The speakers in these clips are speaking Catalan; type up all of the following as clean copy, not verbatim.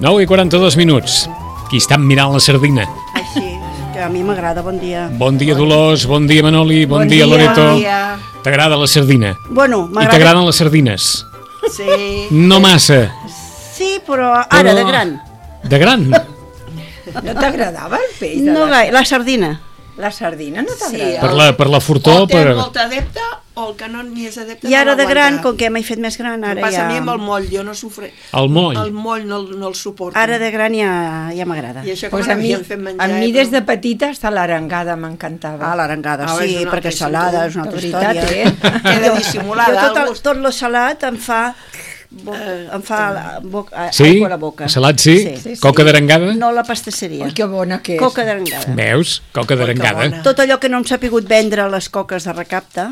9 i 42 minuts. Qui està mirant la sardina? Així, que a mi m'agrada, bon dia. Bon dia, Dolors, bon dia, Manoli, bon dia, Loreto. Bon dia. T'agrada la sardina? Bueno, I t'agraden les sardines? Sí. No massa. Sí, però ara, de gran. De gran? No t'agradava el peix? No gaire, la sardina. La sardina no t'agrada? Sí, Per la fortor... o té molta adepte o el que no n'hi és adepte I ara no de gran, l'aguanta. com que m'he fet més gran, ara Passa ja... a mi amb el moll, jo no sofre... El moll. El moll no el suporto. Ara de gran ja m'agrada. I això Pues quan a mi, havíem fet menjar... des de petita hasta l'arengada m'encantava. Ah, l'arengada, Ah, sí, és una perquè altra salada història. és una altra De veritat, història. Queda dissimulada. Jo tot lo salat em fa Sí? aigua a la boca. Salat sí? Coca d'arengada? No la pastisseria. Ui, que bona que és. Coca d'arengada. Veus? Coca d'arengada. bona. Tot allò que no hem sapigut vendre a les coques de recapte.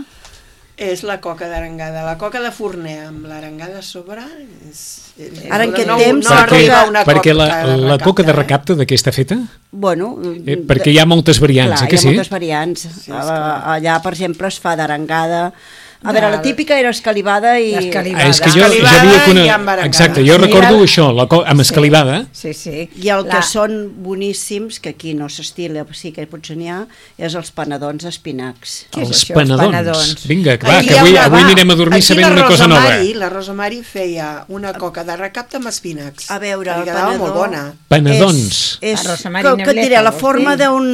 És la coca d'arengada. La coca de forner amb l'arengada a sobre... Ara en aquest no, temps- no arriba una perquè coca la coca de recapte de què està feta? Bueno, Perquè hi ha moltes variants, clar, que hi ha sí? moltes variants. Allà, per exemple, es fa d'arengada. A veure, la típica era escalivada i... L'escalivada. És que jo Escalivada havia i amb arengada. Exacte, jo recordo això, amb escalivada. Sí, sí. I el que són boníssims, que aquí no s'estila, sí que potser n'hi ha, és els panadons d'espinacs. Què és Els això, els panadons. panadons? Vinga, va, Aquí que hi ha avui una- anirem a dormir aquí sabent una cosa nova. La Rosa Mari feia una coca de recapte amb espinacs. A veure, que el li quedava panadó... molt bona. Panadons. És, La Rosa Mari que et diré, Nebleta, la vols forma dir? d'un...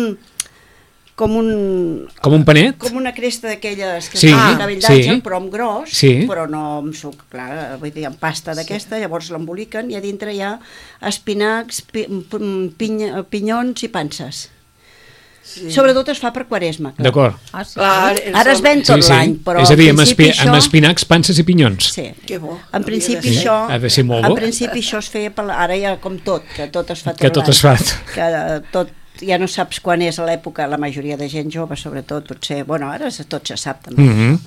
Com un panet? com una cresta d'aquelles que Sí, fan cavallatge, sí. però amb gros, Sí. però no amb suc, clar, vull dir, amb pasta d'aquesta, llavors l'emboliquen i a dintre hi ha espinacs, pinyons i panses. Sí. Sobretot es fa per Quaresma. Clar. D'acord. Ah, sí. Clar, Ara es ven tot l'any, però És a dir, en principi amb espinacs, panses i pinyons. Sí. Que bo. En principi ser. això, Ha de ser molt bo. en principi això es feia per ara ja com tot, que tot es fa tot Que tot l'any. es fa. Que tot ja no saps quan és a l'època, la majoria de gent jove sobretot, potser, bueno, ara tot se sap també, Mhm.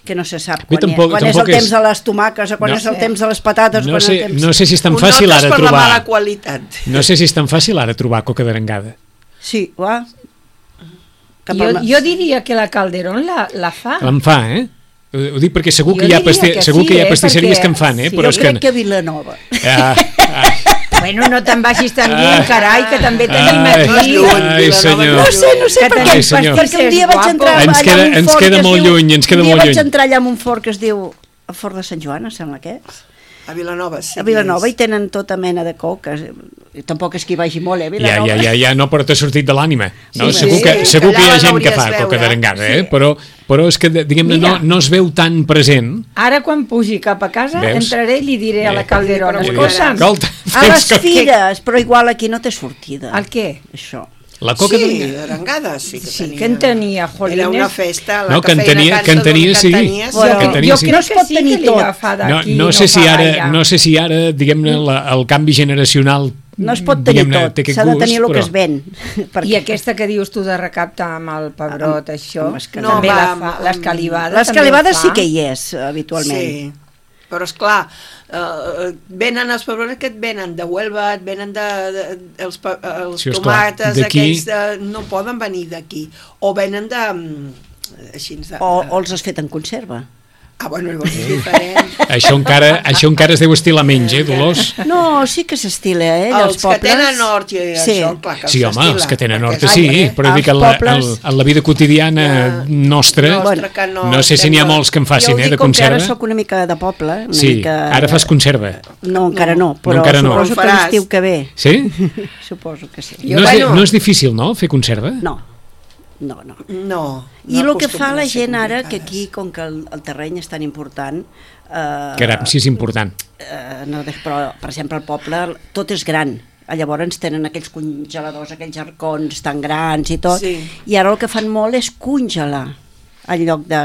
que no se sap Bé, quan, tampoc és el és- temps de les tomaques o quan No. és el temps de les patates. No quan és sé, el temps... no sé si és tan Ho fàcil notes ara per la mala trobar... qualitat. No sé si és tan fàcil ara trobar coca d'arengada. Sí, va. Jo diria que la Calderón la fa. En fa, eh? Ho dic perquè segur Jo que hi ha, diria que segur sí, que hi ha eh, pastisseries perquè- que en fan, eh? sí, Però Jo és crec que a Vilanova. Bueno, no te'n vagis tan lluny, carai, que també tenim Ai, aquí. ai, senyor. No sé Que per tenim què, senyor. perquè un dia vaig guapos. entrar Ens allà queda- en un ens fort queda que es molt diu- lluny, ens queda un dia molt vaig lluny. entrar allà en un fort que es diu el Fort de Sant Joan, em sembla que és. A Vilanova, sí. A Vilanova hi tenen tota mena de coques. I tampoc és que hi vagi molt, Vilanova. Ja, no, però t'ha sortit de l'ànima. No? Sí, Segur que que hi ha allà gent que l'hauries fa veure. coca d'arengada, eh? Però és que, diguem-ne, Mira. no es veu tan present. Ara, quan pugi cap a casa, Veus? entraré i li diré a la Calderón, Però escolta'm, Escolta, A les que- fires, però igual aquí no té sortida. el què? Això. la coca Sí, d'arengada... d'arengada sí que Sí, tenia. que en tenia, Era jolines. una festa. La No, que en cafeïna tenia, cansa sí. tenia, Bueno, Que en tenia, jo sí. crec es que pot sí tenir que li tot. agafa No, d'aquí. no sé si fa ara, diguem-ne, el canvi generacional... No es pot tenir diguem-ne, tot, té aquest s'ha de gust, tenir el que però- es ven. I aquesta que dius tu de recapte amb el pebrot, això, amb escalivada. també No, la va, fa, amb- l'escalivada L'escalivada també ho sí fa. que hi és, habitualment. Sí, però esclar, venen els pebrots que et venen de Huelva, et venen els Sí, esclar, tomates, d'aquí- aquells no poden venir d'aquí, o venen de... així, O els has fet en conserva. Ah, bueno, llavors és diferent. Això encara es deu estilar menys, Dolors? No, sí que s'estila, Els els pobles. que tenen hort i això, clar que Sí, home, s'estila, els que tenen perquè horta és sí, altre. però dic que Els pobles- en la vida quotidiana nostra, que no sé si n'hi ha molts que en Jo facin, ho dic de com que ara conserva. sóc una mica de poble. Una Sí, mica... ara fas conserva. No, encara no, però encara no. suposo que Faràs. l'estiu que ve. Sí? Suposo que sí. Jo, No és, bueno. no és difícil, no, fer conserva? No. No. I el que fa acostumen la a ser gent ara, que complicades. aquí, com que el terreny és tan important... Caram, sí, és important. No, però, per exemple, al poble tot és gran. Llavors tenen aquells congeladors, aquells arcons tan grans i tot, Sí. i ara el que fan molt és congelar en lloc de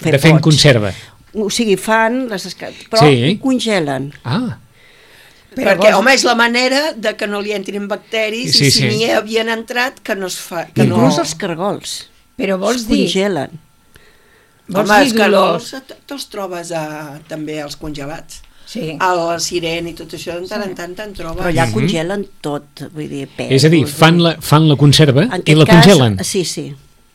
fer De fer en pots. conserva. O sigui, fan però Sí. congelen. Ah, Perquè, home, és la manera de que no li entrin bacteris Sí, i si sí. n'hi havien entrat, que no es fa... Que Inclús no... els cargols Però es vols dir, congelen. vols Home, dir, els cargols Dolors? te'ls trobes també als congelats. Sí. El siren i tot això, de tant en tant te'n trobes. Però allà congelen tot, vull dir, pèls. és a dir, fan la conserva En i aquest la cas, congelen. Sí, sí.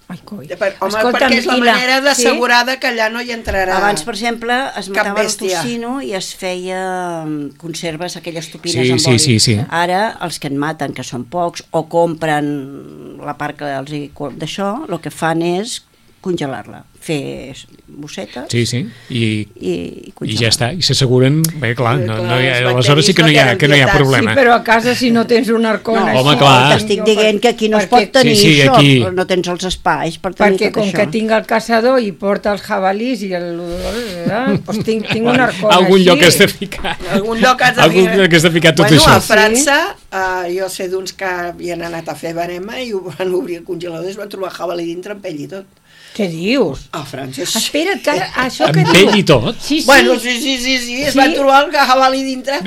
Ai, coi. Home, Escolta'm, perquè és la i la- manera d'assegurar que allà no hi entrarà. Abans, per exemple, es Cap matava el bèstia. tocino i es feia conserves, aquelles topines Sí, amb sí, oli. sí, sí. Ara, els que en maten, que són pocs, o compren la part que els hi... d'això, el que fan és congelar-la, fer bossetes Sí, sí, i i congelar. ja està, i s'asseguren, bé, clar, Clar, aleshores bacteris sí que no hi no ha, tenen que no hi ha pietat. problema. Sí, però a casa si no tens un arcón No, així... home, clar. T'estic dient que aquí no es Perquè- pot tenir Sí, sí, això, aquí. no tens els espais per tenir Perquè tot com això. que tinc el caçador i porta els jabalís i doncs tinc un arcón Algun així. lloc has de ficar. Algun lloc has de Algun ficar. lloc has de ficar tot bueno, això. a França, jo sé d'uns que havien anat a fer verema i ho van obrir el congelador i es van trobar jabalí dintre amb pell i tot. Què dius? A França, sí. Espera't, que això que Amb diu... pell i tot? Sí, sí. Bueno, sí, es Sí. van trobar el jabalí dintre.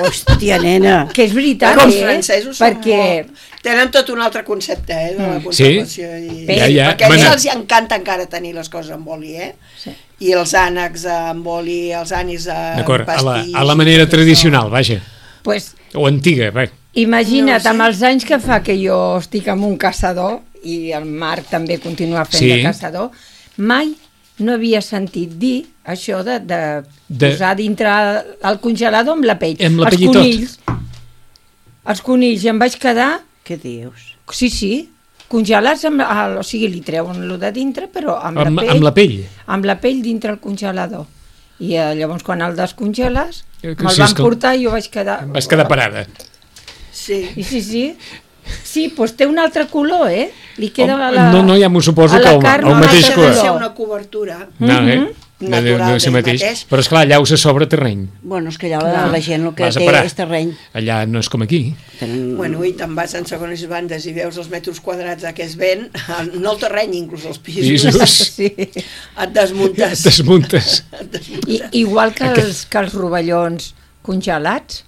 Hòstia, nena. Que és veritat, Els francesos són perquè... molt... Tenen tot un altre concepte, de la conservació. I... Ja, ja. Perquè a ells Bueno. els encanta encara tenir les coses amb oli, Sí. I els ànecs amb oli, els ànics amb D'acord, pastís... a la manera tot això. tradicional, vaja. Pues, O antiga, bé. imagina't, No sé. amb els anys que fa que jo estic amb un caçador, i el Marc també continua fent Sí. de caçador, mai no havia sentit dir això de posar dintre el congelador amb la pell. Amb la Els pell i tot. conills, els conills, i em vaig quedar, Què dius? sí, congelats, o sigui, li treuen lo de dintre, però amb la pell. Amb la pell. Amb la pell dintre el congelador. I llavors quan el descongeles, Que me'l sí, van esclar. portar i jo vaig quedar... Vas quedar parada. Sí. I sí. Sí, doncs té un altre color, Li queda No, ja m'ho suposo a que la el carn el un mateix altre color. Ha de ser color. una cobertura. No, Natural ser d'ell mateix. mateix. Però esclar, allà us a sobre terreny. Bueno, és que allà la gent el que Vas a té parar. és terreny. Allà no és com aquí. Tenen... Bueno, i te'n vas en segones bandes i veus els metres quadrats que es ven, no el terreny, inclús els pisos. Pisos. Sí. Et desmuntes. Desmuntes. Igual que els rovellons congelats.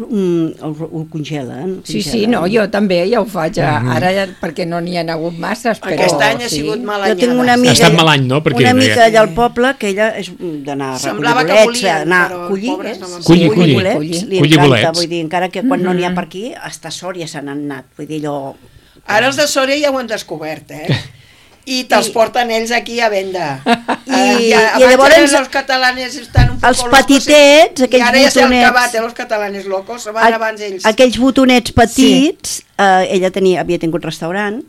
Ho congelen. Sí, no, jo també ja ho faig. Ara, perquè no n'hi ha hagut masses, però... Aquest any ha sí. sigut mal Jo anyada. tinc una Ha amiga, estat mal any, no? Perquè una no hi amiga ha- allà al poble que ella és d'anar a recollir Semblava que bolets, volien, anar però a collir, pobres no van Collir, collir collir. bolets, li Collir encanta, bolets. vull dir, encara que quan no n'hi ha per aquí, hasta Sòria se n'han anat, vull dir, allò... Ara els de Sòria ja ho han descobert, I te'ls porten ells aquí a venda. I abans llavors eren los catalanes estan un poco els locos, petitets, i aquells ara ja s'han botonets. acabat, los catalanes locos, van abans ells. Aquells botonets petits, ella havia tingut restaurant,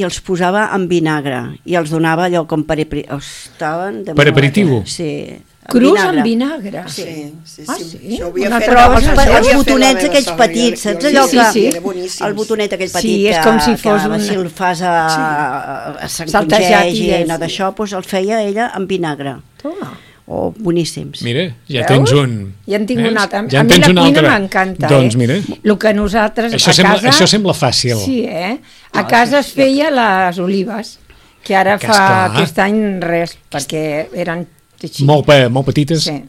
i els posava en vinagre, i els donava allò com per... Estaven de Per moda. aperitiu? Sí. Crus amb vinagre. Sí. Ah, sí? Això ho havia Una fet Però Però els, això ho havia els fet la botonets meva aquells sogra, petits, jo- saps jo- allò sí, que... sí. Era boníssims. El botonet aquell petit Sí, és com si fos que un- si el fas a Saltejat i s'encongegi, és- d'això, doncs el feia ella amb vinagre. Toma. Oh, boníssims. Mira, ja Veus? tens un. Ja en tinc un altre. Ja A en mi tens la un cuina altre. m'encanta, Doncs mira, El que nosaltres això a casa... això sembla fàcil. Sí, A casa es feia les olives, que ara Que fa esclar. aquest any res, perquè eren així. Molt petitetes. Sí.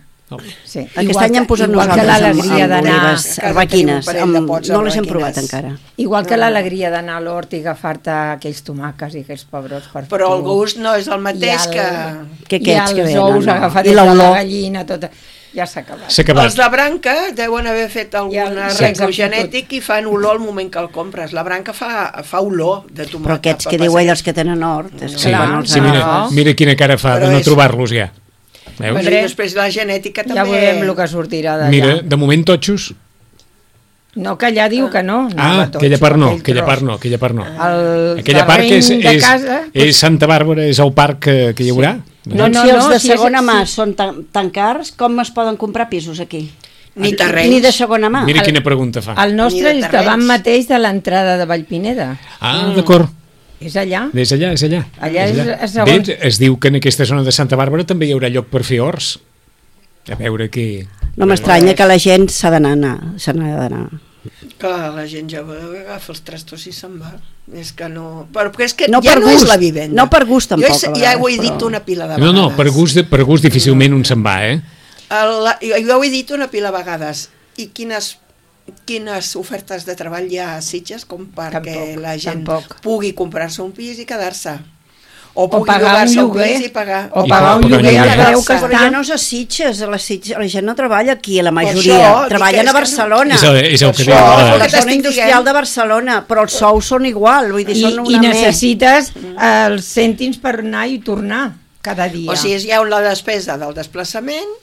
Sí. Aquest any hem posat igual que nosaltres l'alegria amb d'anar... olives A casa arbequines. tenim un parell de pots No les hem arbequines. provat encara. Igual que l'alegria d'anar a l'hort i agafar-te aquells tomàquets i aquells pebrots per Però el tu. gust no és el mateix I que... Que I aquests que els venen, ous no. agafats I de la l'olor. gallina, tot. Ja s'ha acabat. S'ha acabat. Els de branca deuen haver fet algun Ja arreglo sí. genètic i fan olor al moment que el compres. La branca fa olor de tomata. Però aquests que diu ell, els que tenen hort, és que Sí, quan els sí, mira quina cara fa Però de no és- trobar-los ja. Veus? Bueno, i després la genètica també... Ja veurem el que sortirà d'allà. Mira, de moment totxos. No, que allà diu que no. Aquella part no, aquella part no, aquella part no. El Aquella part que terreny de casa... és Santa Bàrbara, és el parc que hi haurà? No, si els de si segona és- mà són tan cars, com es poden comprar pisos aquí? Ni terrenys. Ni de segona mà. Mira quina pregunta fa. El nostre Ni de és terrenys. davant mateix de l'entrada de Vallpineda. D'acord. És allà. És allà, és allà. Allà és Bé, segons... es diu que en aquesta zona de Santa Bàrbara també hi haurà lloc per fer horts. A veure què... No m'estranya que la gent s'ha d'anar. Que la gent jove agafa els trastos i se'n va. És que no... Però és que No ja per no és gust, la vivenda. no per gust tampoc, Jo a ja ho he vegades, dit però- una pila de No, vegades. no, per gust difícilment un se'n va, Jo ho he dit una pila de vegades. I quines ofertes de treball hi ha a Sitges com perquè Tampoc, la gent tampoc. pugui comprar-se un pis i quedar-se. O pugui pagar un llogar-se un lloguer. pis i pagar. O I pagar un pagar un lloguer lloguer. a preu que Però està... ja no és a Sitges, la gent no treballa aquí, la Per majoria. això, dic Treballen que a és que Barcelona. és el que Per deia. això, La que zona t'estic industrial dient. de Barcelona, però els sous són igual, vull dir, són I una més. necessites els cèntims per anar i tornar cada dia. O sigui, hi ha la despesa del desplaçament,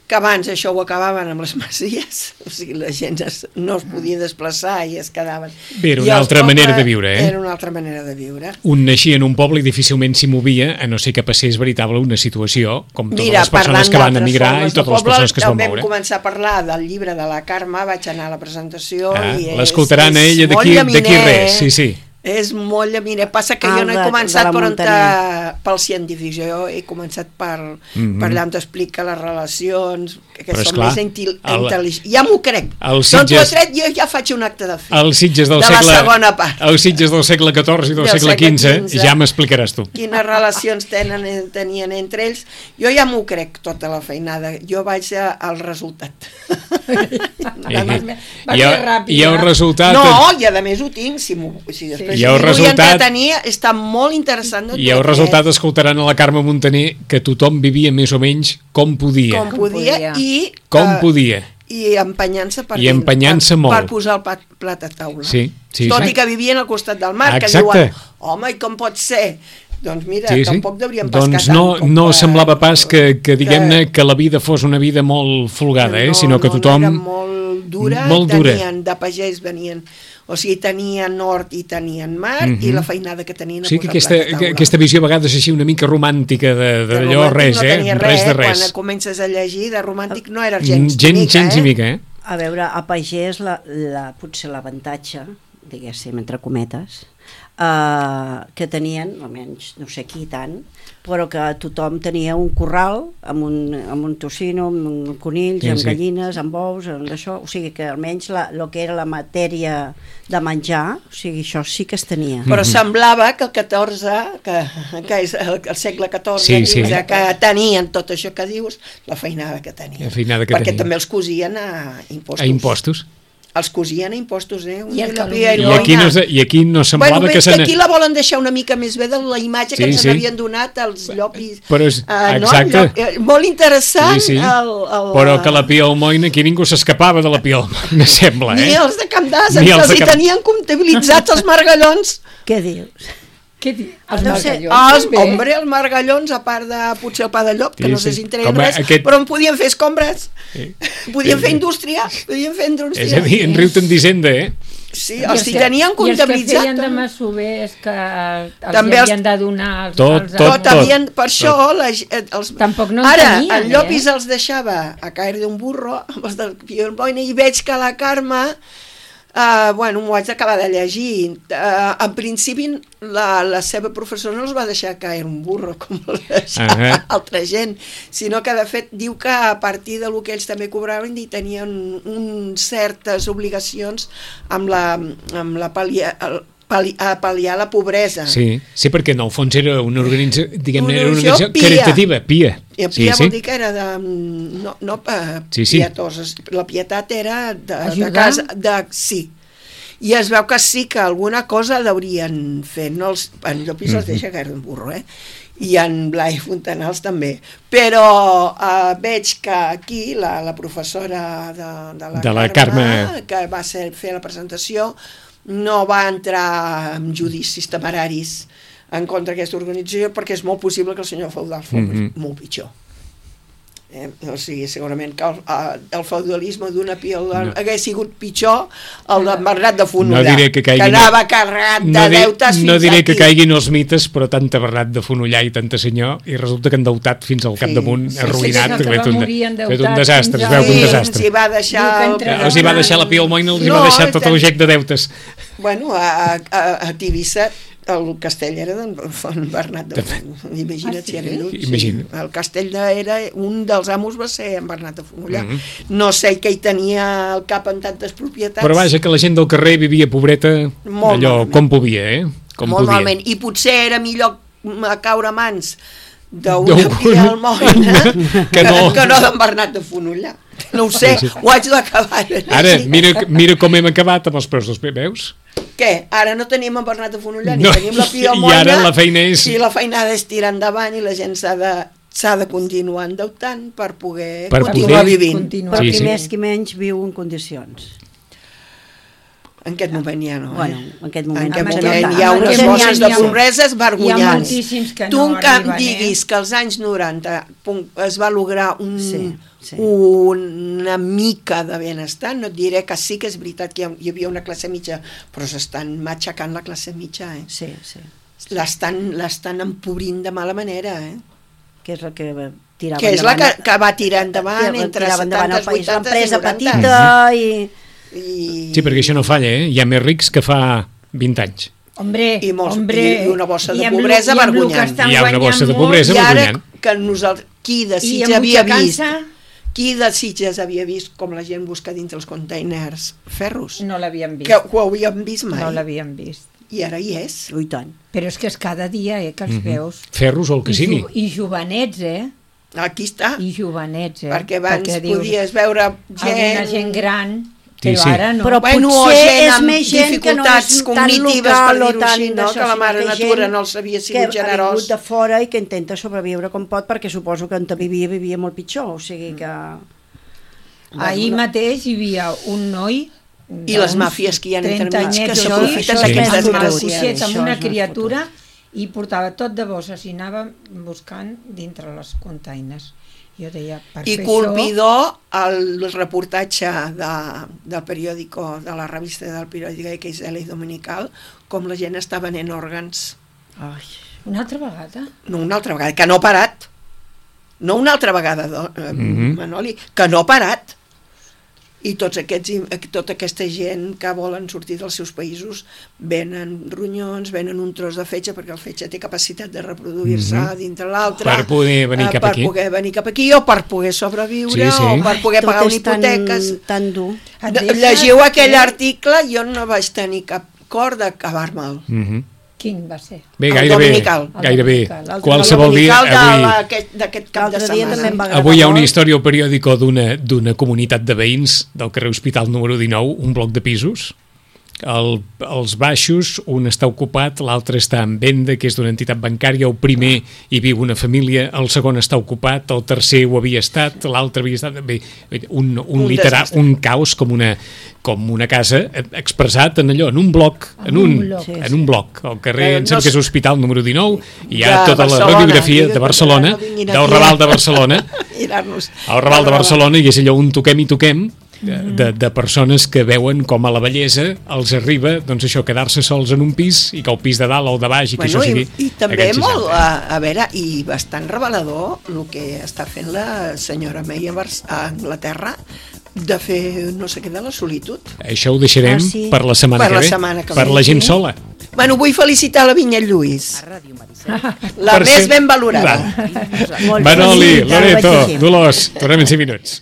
que abans això ho acabaven amb les masies, o sigui, la gent no es podia desplaçar i es quedaven. Bé, era I una els altra manera pobles de viure, Era una altra manera de viure. Un naixia en un poble i difícilment s'hi movia, a no ser que passés veritable una situació, com totes les persones parlant que van d'altres emigrar i formes de totes les poble, persones que es van Vam moure. començar a parlar del llibre de la Carme, vaig anar a la presentació i L'escoltaran a ella molt d'aquí llaminer, res, sí. És molt llaminer. Passa que jo no he de començat la per muntanya. pel científic, jo he començat per allà on t'explica les relacions, que Però són esclar, més intel·ligents. Ja m'ho crec. el D'on t'ho Sitges- has tret, jo ja faig un acte de fe. Els Sitges del de la segle... segona part. Els Sitges del segle XIV i del segle XV, ja m'explicaràs tu. Quines relacions tenien entre ells. Jo ja m'ho crec, tota la feinada. Jo vaig al resultat. Va ser ràpid, I el resultat... No, i a més ho tinc. Si després I el m'hi vull resultat- entretenir, està molt interessant de I el resultat escoltaran a la Carme Montaner que tothom vivia més o menys com podia. com podia i... Com podia. I empenyant-se per I empenyant-se molt. per posar el plat a taula. Sí, sí, Tot sí. i que vivien al costat del mar, que Exacte. diuen, home, i com pot ser? Doncs mira, Sí, sí. tampoc devríem pescar Doncs tant. no semblava pas que diguem-ne que la vida fos una vida molt folgada, sinó que tothom... No, era molt dura, molt dura. tenien, de pagès venien, o sigui, tenien nord i tenien mar, i la feinada que tenien a Sí, que posar plat a taula. aquesta visió a vegades així una mica romàntica d'allò, romàntic res, no tenia res de res. Quan comences a llegir, de romàntic no era gens Gens ni mica, A veure, a pagès potser l'avantatge, diguéssim, entre cometes, que tenien, almenys no sé qui tant, però que tothom tenia un corral amb un tocino, amb conills, Sí, amb sí. gallines, amb ous, amb això, o sigui que almenys el que era la matèria de menjar, o sigui, això sí que es tenia. Però semblava que el 14, que és el segle XIV, Sí, sí. que tenien tot això que dius, la feinada que tenien. La feinada que Perquè tenien. també els cosien a impostos. A impostos. Els cosien a impostos, I el I aquí no semblava bueno, que que aquí la volen deixar una mica més bé de la imatge que ens havien donat els llopis. Però és, No? exacte. Molt interessant. Sí, sí. Però que la Pia Almoina, aquí ningú s'escapava de la Pia Almoina, sembla, Ni els de Camp d'As, Ni que els els de hi Camp- tenien comptabilitzats els margallons. Què dius? Què diu? Els Deu ser- margallons. també. Hombre, els margallons, a part de potser el pa de llop, que Sí, no sé sí. si en treien Com res, però en podien fer escombres, podien fer indústria, podien fer indústria. És a dir, en riu-te'n d'Hisenda, Sí, I els hi tenien I els que comptabilitzat. feien de masovers que els També els- havien de donar als, Tot, als tot. Havien, per això els... Tampoc no en Ara, tenien, el Llopis els deixava a caer d'un burro amb els del Pio Almoina i veig que la Carme bueno, m'ho vaig acabar de llegir. En principi, la seva professora no els va deixar caer un burro, com el deixava altra gent, sinó que, de fet, diu que a partir del que ells també cobraven i tenien certes obligacions amb la pal·liar la pobresa. Sí, sí, perquè en el fons era una organització, diguem-ne, era una Organització organització pia. caritativa, pia. I Sí, pia sí. vol dir que era de... No Sí, sí. pietoses. La pietat era de Ajudar? casa... Sí. i es veu que sí que alguna cosa l'haurien fet, no en Llopis els deixa caure un burro, i en Blai Fontanals també, però veig que aquí la professora de la Carme, que va fer la presentació, no va entrar en judicis temeraris en contra d'aquesta organització, perquè és molt possible que el senyor Feudal fos molt pitjor. O sigui, segurament que el feudalisme d'una pil hagués sigut pitjor el de Bernat de Fonollar, que anava carregat de deutes fins aquí. No diré que caiguin els mites, però tanta Bernat de Fonollar i tanta senyor, i resulta que endeutat fins al capdamunt, arruïnat, fet un desastre, es veu que un desastre. Els hi va deixar la Pia Almoina, els hi va deixar tot el gec de deutes. Bueno, a Tivissa el castell era d'en Bernat de Fonollar. Imagina't si era el castell era un dels amos, va ser en Bernat de Fonollar. No sé què hi tenia al cap amb tantes propietats, però vaja, que la gent del carrer vivia pobreta allò com podia, molt malament, i potser era millor caure a mans d'una Pia Almoina que no d'en Bernat de Fonollar. No ho sé, ho haig d'acabar. Ara, mira com hem acabat amb els preus dels veus. Què? Ara no tenim en Bernat de Fonollar, ni tenim la Pia Almoina, i ara la feina és... I la feinada és tirar endavant i la gent s'ha de continuar endeutant per poder continuar vivint. Però qui més qui menys viu en condicions. En aquest moment ja no. Bueno, en aquest moment hi ha unes bosses de pobresa vergonyants. Hi ha moltíssims que no arriben. Tu que em diguis que als anys 90 es va lograr una mica de benestar, no et diré que sí que és veritat que hi havia una classe mitja, però s'estan matxacant la classe mitja, Sí. L'estan empobrint de mala manera, que és la que tirava endavant. Que és la que va tirar endavant entre 70 i 80 i 90. L'empresa petita i... Sí, perquè això no falla, Hi ha més rics que fa 20 anys. I una bossa de pobresa vergonyant. Hi ha una bossa de pobresa vergonyant. I ara que qui de Sitges havia vist com la gent busca dintre els containers ferros? No l'havien vist. Que ho havíem vist mai. No l'havien vist. I ara hi és. Ui, tant. Però és que és cada dia, que els veus. Ferros o el que sigui. I jovenets, Aquí està. I jovenets, Perquè abans podies veure gent gran, però ara no. Però potser és més gent que no és tan local o tan que la mare natura no els havia sigut generós. Que ha vingut de fora i que intenta sobreviure com pot, perquè suposo que on vivia molt pitjor, o sigui que... Ahir mateix hi havia un noi i les màfies que hi ha entremig que s'aprofiten d'aquests desgraciats amb una criatura i portava tot de bosses i anava buscant dintre les containers. Jo deia, i colpidor el reportatge del periòdico, de la revista del periòdico de XL i Dominical, com la gent està venent òrgans. Una altra vegada? No, una altra vegada, que no ha parat. No una altra vegada, Manoli, que no ha parat. I tota aquesta gent que volen sortir dels seus països venen ronyons, venen un tros de fetge, perquè el fetge té capacitat de reproduir-se dintre l'altre, per poder venir cap aquí. Per poder venir cap aquí, o per poder sobreviure, o per poder pagar una hipoteca. Tan dur. Llegiu aquell article, jo no vaig tenir cap cor d'acabar-me'l. Quin va ser? Bé, gairebé. Qualsevol dia... d'aquest cap de setmana. Avui hi ha una història al periòdico d'una comunitat de veïns del carrer Hospital número 19, un bloc de pisos. Els baixos, un està ocupat, l'altre està en venda, que és d'una entitat bancària, el primer hi viu una família, el segon està ocupat, el tercer ho havia estat, l'altre havia estat... Bé, un caos com una casa expressat en allò, en un bloc, en un bloc. Al carrer, em sembla que és Hospital número 19, hi ha tota la radiografia de Barcelona, del Raval de Barcelona, al Raval de Barcelona, i és allò un toquem i toquem, de persones que veuen com a la bellesa els arriba, doncs això, quedar-se sols en un pis i que el pis de dalt o de baix i que això sigui... I també molt, a veure, i bastant revelador el que està fent la senyora May a Anglaterra, de fer no sé què de la solitud. Això ho deixarem per la setmana que ve, per la gent sola. Bueno, vull felicitar la Vinyet Lluís, la més ben valorada. Manoli, Loreto, Dolors, tornem en 5 minuts.